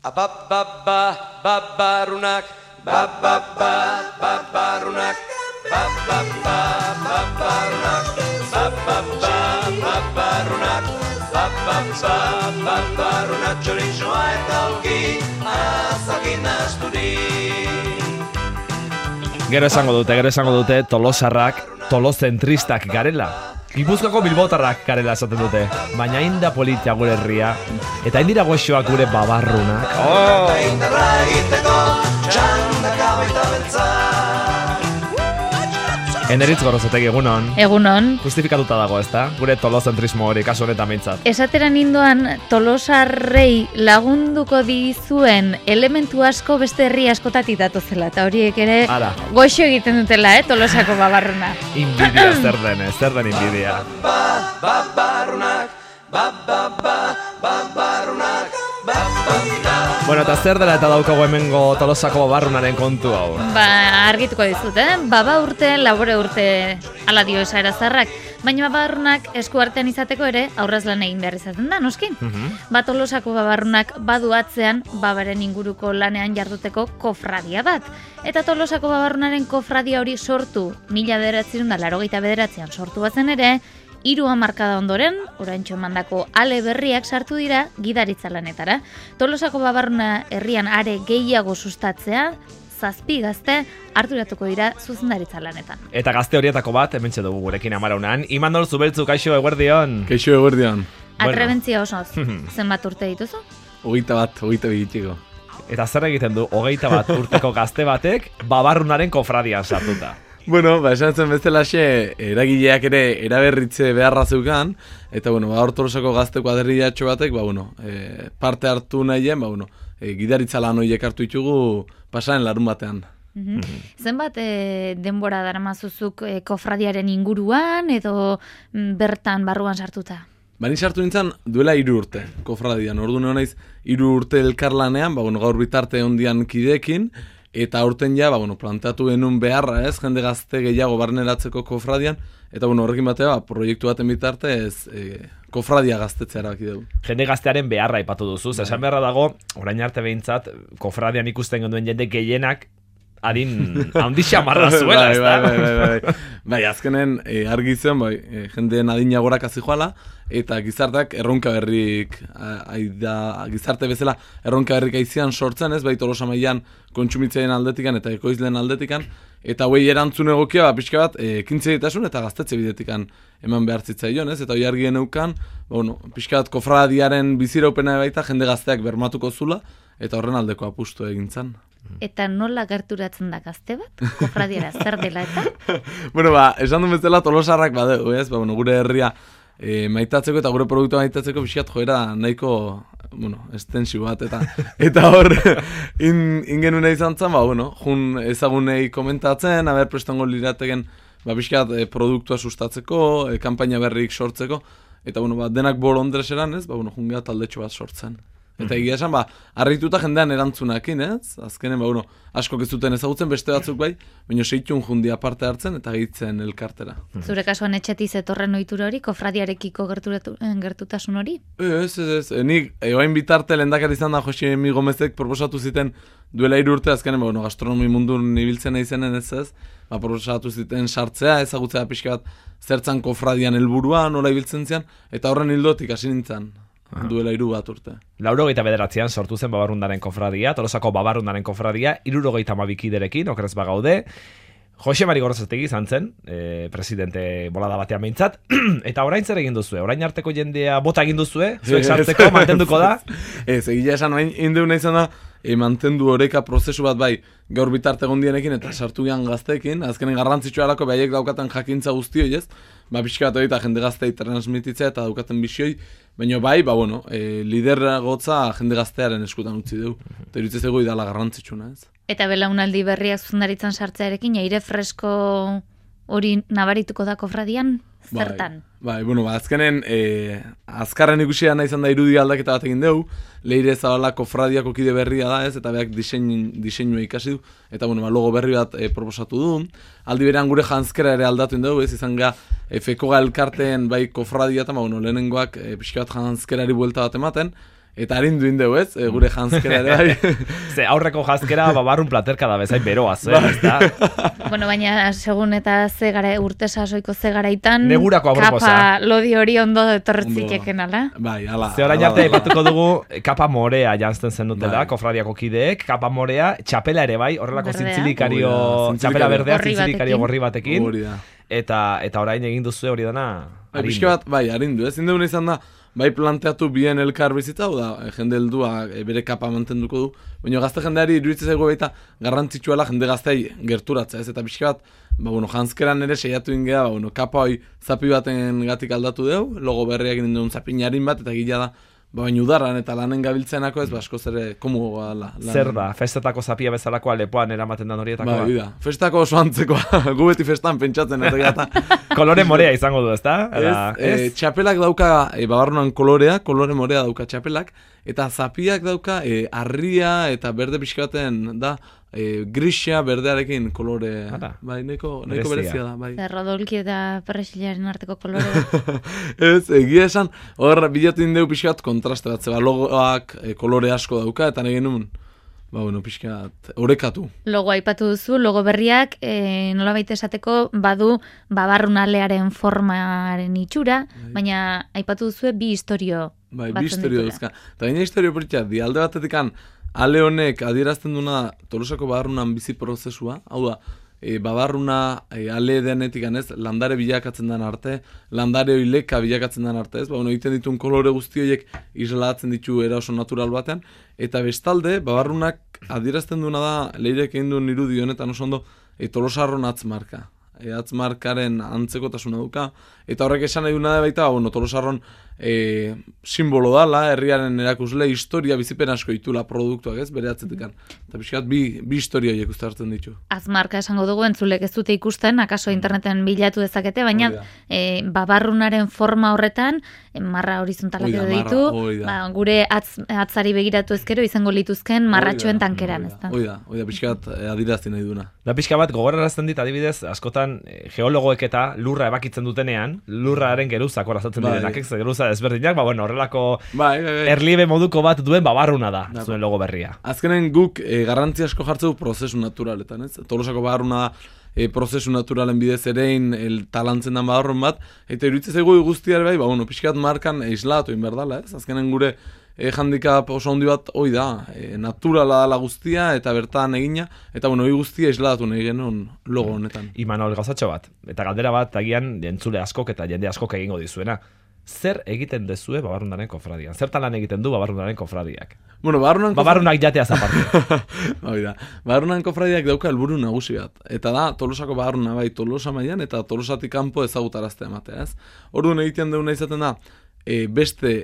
Babarunak, babarunak, babarunak, babarunak, txorizoa eta olki, azakin asturik. Gero esango dute tolosarrak, tolozentristak garela. Gipuzkoako bilbotarrak garela esaten dute. Baina inda politia gure herria. Eta indira goxoak gure babarrunak. Indarra egiteko, txandaka baita beltza. Eneritz Gorrozategi, egunon. Egunon. Justifikatuta dago, ezta? Gure tolozentrismo hori, kasu honetan behintzat. Esateran indoan, tolosarrei lagunduko dizuen elementu asko beste herri askotatik datozela. Eta horiek ere goxo egiten dutela, tolosako babarruna. Inbidia zer den inbidia. Babarunak, babarunak, Bueno, eta zer dela eta daukago hemengo tolosako babarrunaren kontu hau? Argituko dizut, Baba urte, labore urte, ala dio esaera zarrak. Baina babarrunak esku artean izateko ere aurraz lan egin behar izaten da, noski? Tolosako babarrunak badu atzean babaren inguruko lanean jarduteko kofradia bat. Eta Tolosako babarrunaren kofradia hori sortu 1989an sortu bazen ere, 3 hamarkada ondoren, oraintxo emandako ale berriak sartu dira gidaritza lanetara. Tolosako babarruna herrian are gehiago sustatzea, 7 gazte arduratuko dira zuzendaritza lanetan. Eta gazte horietako bat, hementxe dugu gurekin Amaraunan. Imandol Zubeltzu, kaixo eguerdion. Kaixo eguerdion. Atrebentzia osoz, zenbat urte dituzu? 22 egiteko. Eta zer egiten du, 21 urteko gazte batek babarrunaren kofradian sartuta? Bueno, esan zen bezalaxe, eragileak ere eraberritze beharra zeukan, eta hor Tolosako gazteko aderriatxo batek, parte hartu nahien, gidaritza lan horiek hartu ditugu pasaren larun batean. Zenbat denbora daramazuzuk kofradiaren inguruan edo bertan barruan sartuta? Bani sartu nintzen duela 3 urte, kofradian. Orduan naiz 3 urte elkarlanean, gaur bitarte ondian kideekin, eta aurten ja, planteatu genuen beharra jende gazte gehiago barneratzeko kofradian, eta horrekin batea, proiektu baten bitartez, kofradia gaztetzea erabaki dugu. Jende gaztearen beharra aipatu duzu, esan beharra dago, orain arte behintzat, kofradian ikusten genduen jende gehienak, adin handi xamarra zuela, ezta? Bai, azkenen argi zen, jendeen adina gorak azijoala, eta gizarteak erronka berrik, gizarte bezala erronka berrik aizian sortzen, bai Tolosa mailan kontsumitzaien aldetikan eta ekoizleen aldetikan, eta hoi erantzun egokia, pixka bat, ekintzeitasun eta gaztetze bidetikan eman behar zitzaion, eta hoi argien eukan, pixka bat kofradiaren biziraupena baita jende gazteak bermatuko zula, eta horren aldeko apustu egintzan. Eta nola gerturatzen da gazte bat? Kofradiara zer dela eta? Esan duen bezala Tolosarrak badeu, gure herria maitatzeko eta gure produktua maitatzeko pixkat joera nahiko, estensibo bat, eta hor, ingenuna izan zen, jun ezagunei komentatzen, haber prestango lirateken, pixkat produktua sustatzeko, kanpaina berrik sortzeko, eta denak bolondres eran, jungea taldetxo bat sortzen. Eta egia esan, harrituta jendean erantzunakin, azkenen, asko ez duten ezagutzen beste batzuk bai, baina 6 jundia parte hartzen eta gehitzen elkartera. Zure kasuan etxetiz etorren ohitura hori, kofradiarekiko gertutasun hori? Ez, nik, oain bitarte lehendakari izan da Josi Mi Gomezek proposatu ziten duela 3 urte, azkenen, gastronomi mundun ibiltzen izenen ez, proposatu ziten sartzea, ezagutzea pixka bat zertzan kofradian helburua, nola ibiltzen zian, eta horren hildotik hasi nintzen. Duela 3 urte. 89an sortu zen babarrunaren kofradia, Tolosako babarrunaren kofradia, 72 kiderekin, okerrez bagaude. Jose Mari Gorrozategi izan zen, presidente bolada batean behintzat, eta orain zer egin duzue? Orain arteko jendea bota egin duzue? Zuek sartzeko, mantenduko da? Ez, egila esan, indeuna izan da, mantendu oreka prozesu bat bai, gaur bitarte gondienekin eta sartu gian gazteekin, azkenen garrantzitsua alako behaiek daukaten jakintza guztioi ez, pixka bat hori eta jende gaztei transmititzea eta daukaten bisioi, baina bai, lideragotza jende gaztearen eskutan utzi dugu, eta irutzez ego idala garrantzitsuna ez. Eta belaunaldi berriak zuzendaritzan sartzearekin, aire fresko hori nabarituko da kofradian, zertan? Azkenen, azkarren ikusia nahi izan da irudi aldaketa bat egin dugu, Leire Zabala kofradiako kide berria da ez, eta beak diseinua ikasi du, eta logo berri bat proposatu du. Aldi berean gure janzkera ere aldatu dugu, ez izan ga, Fekoga elkarteen bai kofradia eta lehenengoak pixka bat janzkerari buelta bat ematen, Eta arindu indeu, ez? Gure janzkera ere bai. Ze aurreko janzkera babarrun platerka da bezain beroaz, ezta? Bueno, baina segun eta urte sasoiko garaitan Negurako aproposa. Kapa lodi hori ondo etorretzikeken, ala? Bai, ala. Ze orain arte aipatuko dugu kapa morea janzten zenutela, Bai. kofradiako kideek, kapa morea, txapela ere bai, horrelako Berdea. zintzilikario, Hori da, txapela berdea, gorri zintzilikario batekin. gorri batekin, Hori da. eta orain egin duzu hori dana, Bai, pixka bat, bai, arindu, ez? Indeuna izan da, bai planteatu bien elkar bizitza, hau da, jende heldua bere kapa mantenduko du, baina gazte jendeari iruditzen zaigu baita garrantzitsuela jende gaztei gerturatzea, ez? Eta pixka bat, janzkeran ere seiatu ingea, kapa hoi zapi baten gatik aldatu deu, logo berriak induen zapinarin bat, eta gila da, baina udarran eta lanen gabiltzenako ez, askoz ere komogoa la. Zer da, festetako zapia bezalakoa lepoan eramaten den horietakoa? Bai, da, festako oso antzekoa, gu beti festan pentsatzen, eta Kolore morea izango du, ezta? Txapelak dauka babarrunan kolore morea dauka txapelak, eta zapiak dauka arria eta berde pixka baten da, grisia berdearekin kolore, bai, neko berezia da, bai. Rodolki eta perresilaren arteko kolore. Ez, egia esan, hor bilatu indeu pixka bat kontraste bat, zeba logoak kolore asko dauka, eta nahi genuen, pixka bat, orekatu. Logo aipatu duzu, logo berriak nolabait esateko badu babarrunalearen formaren itxura, baina aipatu duzue bi historio Bai, bi historio duzka. Eta gaina historio politia, di alde batetikan, ale honek adierazten duna Tolosako babarrunan bizi prozesua, hau da, babarruna ale denetik ganez, landare bilakatzen den arte, landare oileka bilakatzen den arte, ez? Egiten dituen kolore guzti horiek islatzen ditu era oso natural batean, eta bestalde, babarrunak adierazten duna da, leirek egin duen irudi honetan oso ondo, Tolosarron atzmarka. Atzmarkaren antzekotasuna duka, eta horrek esan nahi duna da baita, Tolosarron simbolo dala, herriaren erakusle, historia bizipen asko ditula produktuak, ez, bere atzetikan. Eta pixkat, bi historia horiek uste hartzen ditu. Azmarka esango dugu, entzulek ez dute ikusten, akaso interneten bilatu dezakete, baina babarrunaren forma horretan, marra horizontalak edo ditu, gure atzari begiratu ezkero izango lituzken marratxoen tankeran, ez da? Oida, pixkat adirazti nahi duna. Da pixka bat, gogorrarazten dit, adibidez, askotan geologoek eta lurra ebakitzen dutenean, lurraren geruzak horazatzen direnak, geruza ezberdinak, horrelako erliebe moduko bat duen babarruna da, zuen logo berria. Azkenen guk garrantzi asko jartzeu prozesu naturaletan, ez? Tolosako babarruna da prozesu naturalen bidez erein talantzen den babarrun bat, eta iruditzen zaigu guztiare bai, pixkat markan islatu inberdala, ez? Azkenen gure handicap oso handi bat hoi da, naturala dala guztia eta bertan egina, eta hoi guztia islatu nahi genuen logo honetan. Imanol, gauzatxo bat, eta galdera bat agian entzule askok eta jende askok egingo dizuena. Zer egiten dezue babarrunaren kofradian? Zertan lan egiten du babarrunaren kofradiak? Babarrunak jateaz aparte. Babarrunan kofradiak dauka helburu nagusi bat. Eta da, Tolosako babarruna bai Tolosa mailan eta Tolosatik kanpo ezagutaraztea ematea, ez? Orduan egiten deuna izaten da, beste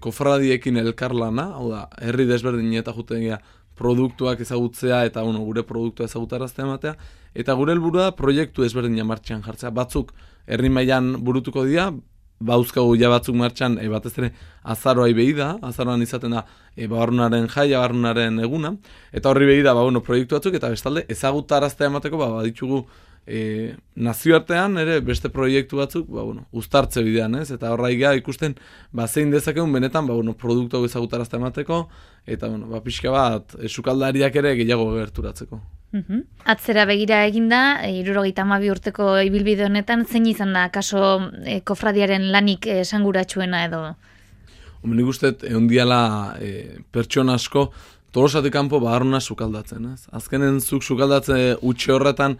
kofradiekin elkarlana, hau da, herri desberdin eta juten gira produktuak ezagutzea eta gure produktua ezagutaraztea ematea, eta gure helburua da proiektu desberdina martxan jartzea. Batzuk herri mailan burutuko dira, bauzkagu ja batzuk martxan, batez ere azaroai behi da, azaroan izaten da babarrunaren jaia, babarrunaren eguna, eta horri behi da, proiektu batzuk, eta bestalde ezagutaraztea emateko, baditugu nazioartean ere beste proiektu batzuk, uztartze bidean, ez? Eta horra ikusten, zein dezakegun benetan, produktu ezagutaraztea emateko, eta, pixka bat, sukaldariak ere gehiago gerturatzeko. Atzera begira eginda, 72 urteko ibilbide honetan, zein izan da, kaso kofradiaren lanik esanguratsuena edo? Nik uste, egon diala pertsona asko, Tolosatik kanpo babarruna sukaldatzen, ez? Azkenen zuk sukaldatze utxe horretan,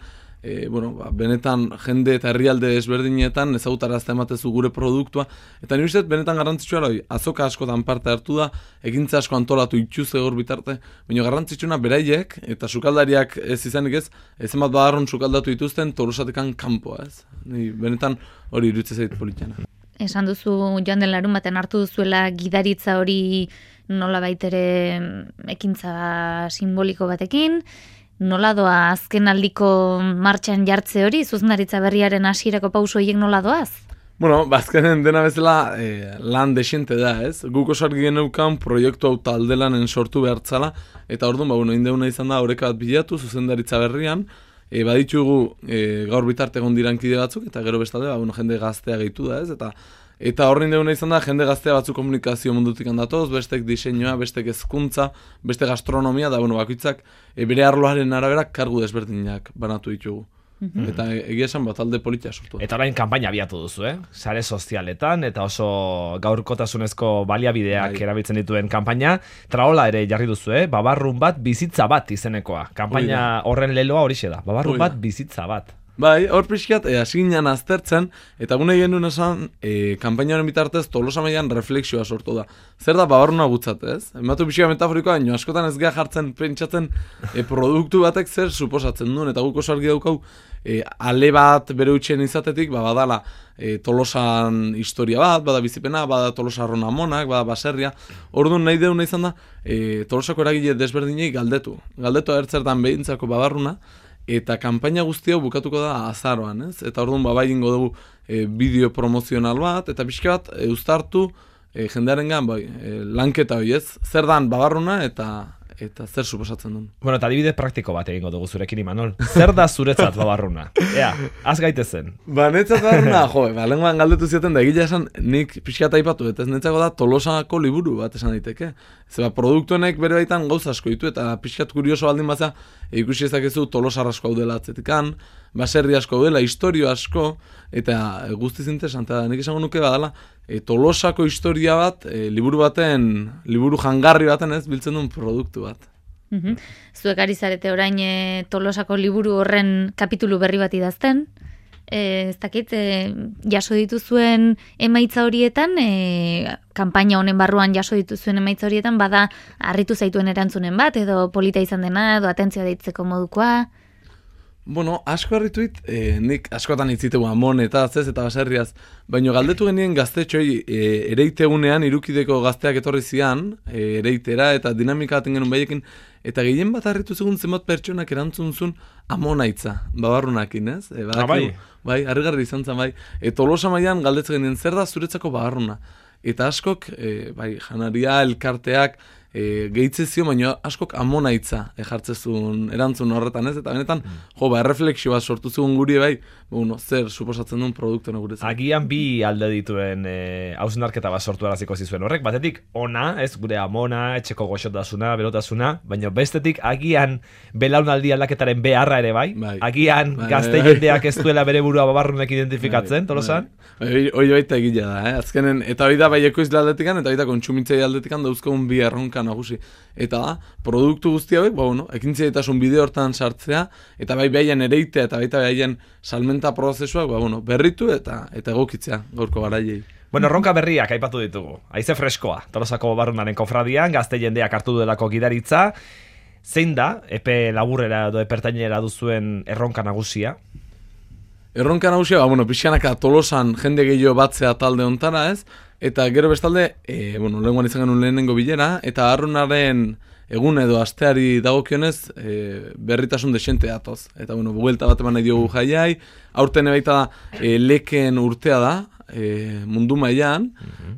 benetan jende eta herrialde ezberdinetan ezagutarazte ematezu gure produktua, eta nire uste benetan garrantzitsua hori, azoka askotan parte hartu da, egintza asko antolatu itxuz egor bitarte, baina garrantzitsuna beraiek eta sukaldariak ez izanik ez, ezenbat babarrun sukaldatu dituzten Tolosatikan kanpoa, ez? Benetan hori iruditzen zait politiana. Esan duzu joan den larun baten hartu duzuela gidaritza hori nola baitere ekintza simboliko batekin, nola doa azken aldiko martxan jartze hori, zuzendaritza berriaren hasierako pauso horiek nola doaz? Azkenen dena bezala lan desiente da, ez? Guk oso argi geneukan proiektu hau taldelanen sortu behartzala, eta orduan, indeuna izan da oreka bat bilatu zuzendaritza berrian, baditugu gaur bitarte egon dirankide batzuk, eta gero bestalde, jende gaztea gehitu da, ez? Eta Eta horrein deuna izan da, jende gaztea batzu komunikazio mundutik handatoz, bestek diseinua, bestek hezkuntza, beste gastronomia, da bakoitzak bere arloaren arabera kargu desberdinak banatu ditugu. Eta egia esan bat alde politia sortu. Eta orain kanpaina abiatu duzu, sare sozialetan, eta oso gaurkotasunezko baliabideak erabiltzen dituen kanpaina, traola ere jarri duzu, babarrun bat bizitza bat izenekoa. Kanpaina horren leloa horixe da, babarrun bat bizitza bat. Bai, hor pixkat, hasiginan aztertzen, eta gune genuen esan, kanpainaren bitartez Tolosa mailan reflexioa sortu da. Zer da babarruna gutzat, ez? Ematu pixka metaforikoa, baina askotan ez geha jartzen pentsatzen produktu batek zer suposatzen duen, eta guk oso argi daukau, ale bat bere utxen izatetik, badala Tolosan historia bat, bada bizipena, bada Tolosa arrona monak, bada baserria. Orduan nahi deuna izan da, Tolosako eragile desberdinei galdetu. Galdetu agertzertan behintzako babarruna, eta kanpaina guzti hau bukatuko da azaroan, ez? Eta orduan bai egingo dugu bideo promozional bat, eta pixka bat uztartu jendearengan lanketa hori, ez? Zer dan babarruna eta zer suposatzen duen. Bueno, eta adibide praktiko bat egingo dugu zurekin, Imanol. Zer da zuretzat babarruna? Ea, az gaitezen. Netzat babarruna, lenguan galdetu zioten da, egila esan nik pixka aipatu, eta ez netzako da Tolosako liburu bat esan daiteke. Zeba, produktuenek bere baitan gauza asko ditu, eta pixkat kurioso baldin baza, ikusi ezakezu Tolosar asko daudela atzetikan, baserri asko daudela, historio asko, eta guztiz interesante da. Nik esango nuke badala, Tolosako historia bat, liburu jangarri baten ez, biltzen duen produktu bat. Zuek ari zarete orain Tolosako liburu horren kapitulu berri bat idazten, ez dakit, jaso dituzuen emaitza horietan, kanpaina honen barruan jaso dituzuen emaitza horietan, bada harritu zaituen erantzunen bat, edo polita izan dena, edo atentzioa deitzeko modukoa? Bueno, asko harrituit, nik askotan itzitegu amonetaz ez eta baserriaz, baina galdetu genien gaztetxoi ereitegunean irukideko gazteak etorri zian, ereitera eta dinamika baten genuen baiekin, eta gehien bat harritu zegoen zenbat pertsonak erantzun zuen amonaitza, babarrunakin, ez? Bai, harrigarri izan zen, bai. Tolosa mailan galdetzen genien, zer da zuretzako babarruna? Eta askok, janaria, elkarteak, gehitzezio, baina askok amonaitza jartzezun erantzun horretan, ez? Eta benetan, erreflexio bat sortu zegoen guri, bai, zer suposatzen duen produktuen gure. Agian bi alde dituen hausnarketa bat sortu araziko zizuen horrek, batetik ona, ez gure amona, etxeko goxotasuna, berotasuna, baina bestetik agian belaunaldi aldaketaren beharra ere bai, agian gazte jendeak ez duela bere burua babarrunek identifikatzen, Tolosan? Hoi baita egila da, azkenen, eta hori da bai ekoizle aldetikan, eta hori da kontsumitzei aldetikan dauzkogun bi erronka nagusi. Eta da, produktu guzti hauek, ekintzaietasun bideo hortan sartzea, eta bai behaien ereitea, eta baita behaien salmenta prozesuak, berritu eta egokitzea gaurko garaiei. Bueno, erronka berriak aipatu ditugu. Haize freskoa, Tolosako babarrunaren kofradian, gazte jendeak hartu duelako gidaritza. Zein da, epe laburrera edo epertainera duzuen erronka nagusia? Erronka nagusia, pixkanaka Tolosan jende gehiago batzea talde ontara, ez? Eta gero bestalde, lehenguan izan genuen lehenengo bilera, eta arrunaren egun edo asteari dagokionez berritasun desente datoz. Eta buelta bat eman nahi diogu jaiai, aurten baita da leken urtea da, mundu mailan,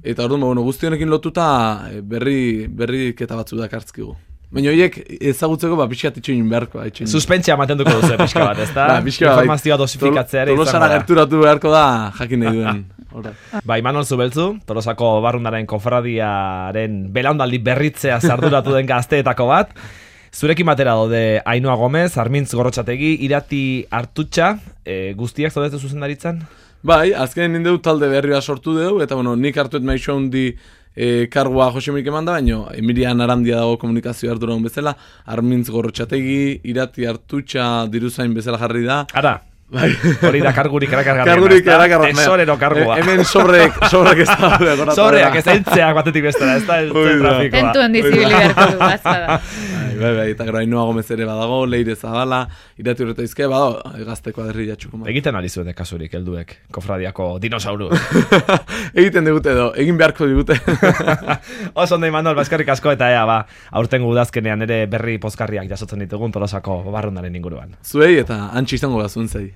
eta orduan guzti honekin lotuta berriketa batzu dakartzkigu. Baina horiek ezagutzeko pixkat itxoin beharko. Suspentzia ematen duko duzu pixka bat, ez da? Informazioa dosifikatzea ere. Tolosara gerturatu beharko da jakin nahi duen. Imanol Zubeltzu, Tolosako barrundaren kofradiaren belaunaldi berritzea zarduratu den gazteetako bat. Zurekin batera daude Ainhoa Gomez, Armintz Gorrotxategi, Irati Artutxa, guztiak zaudetu zuzendaritzan? Bai, azken nindeu talde berria sortu dugu, eta nik hartuet maixo handi kargua Josemirik eman da, baina Emilian Arandia dago komunikazio arduragun bezala, Armintz Gorrotxategi, Irati Artutxa diruzain bezala jarri da. Ara, hori da kargurik erakargarria. Kargurik erakargarria. Tesorero kargua. Hemen sobrek ez da. Sobreak ez entzeak batetik bestera, ez da trafikoa. Tentuen dizibili beharko du, bazpada. Bai, eta gero Ainhoa Gomez ere badago, Leire Zabala, Irati Urretaizke, badago, gazteko aderri jatxuko. Egiten ari zuen kasurik, helduek, kofradiako dinosauru. Egiten digute edo, egin beharko digute. Oso ondo Imanol, eskerrik asko eta aurtengo udazkenean ere berri pozkarriak jasotzen ditugun Tolosako barrundaren inguruan. Zuei eta antxe izango bazuen zei.